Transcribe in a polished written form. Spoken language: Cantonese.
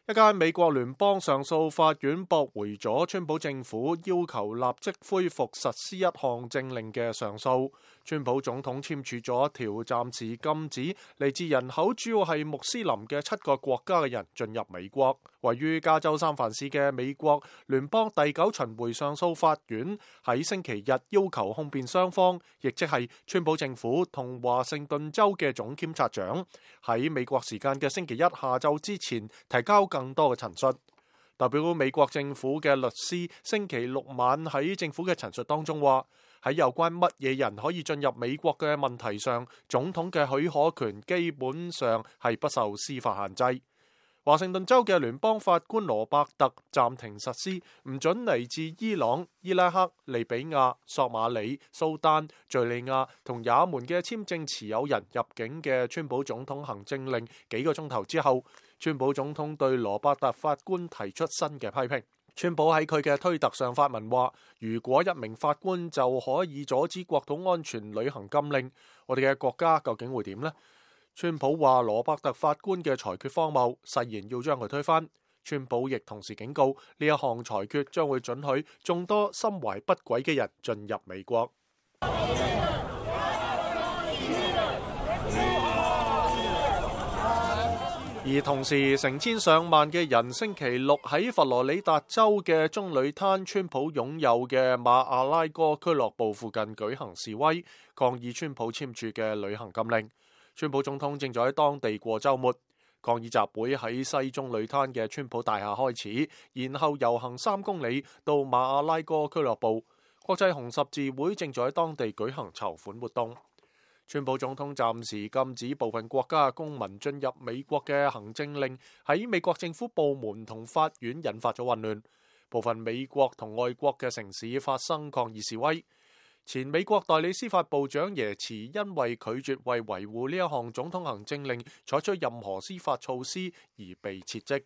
一間美國聯邦上訴法院駁回咗川普政府要求立即恢復實施一項政令嘅上訴。川普總統簽署咗一條暫時禁止嚟自人口主要係穆斯林嘅7個國家嘅人進入美國。位於加州三藩市嘅美國聯邦第9巡迴上訴法院喺星期日要求控辯雙方，亦即係川普政府同華盛頓州嘅總檢察長，喺美國時間嘅星期一下晝之前提交更多嘅陳述。代表美國政府嘅律師星期六晚喺政府嘅陳述當中話，喺有關乜嘢人可以進入美國嘅問題上，總統嘅許可權基本上係不受司法限制。華盛頓州嘅聯邦法官羅伯特暫停實施唔准嚟自伊朗、伊拉克、利比亞、索馬里、蘇丹、敘利亞同也門嘅簽證持有人入境嘅川普總統行政令幾個鐘頭之後，川普總統對羅伯特法官提出新嘅批評。川普喺佢嘅推特上發文話，如果一名法官就可以阻止國土安全履行禁令，我哋嘅國家究竟會點呢？川普話羅伯特法官嘅裁決荒謬，誓言要將佢推翻。川普亦同時警告，呢一項裁決將會准許眾多心懷不軌嘅人進入美國。而同時，成千上萬嘅人星期六喺佛羅里達州嘅棕櫚灘川普擁有嘅馬阿拉哥俱樂部附近舉行示威，抗議川普簽署嘅旅行禁令。川普總統正在喺當地過週末，抗議集會喺西棕櫚灘嘅川普大廈開始，然後遊行3公里到馬阿拉哥俱樂部。國際紅十字會正在喺當地舉行籌款活動。川普總統暫時禁止部分國家公民進入美國嘅行政令喺美國政府部門同法院引發咗混亂，部分美國同外國嘅城市發生抗議示威。前美國代理司法部長耶茨因為拒絕為維護呢一項總統行政令採取任何司法措施而被撤職。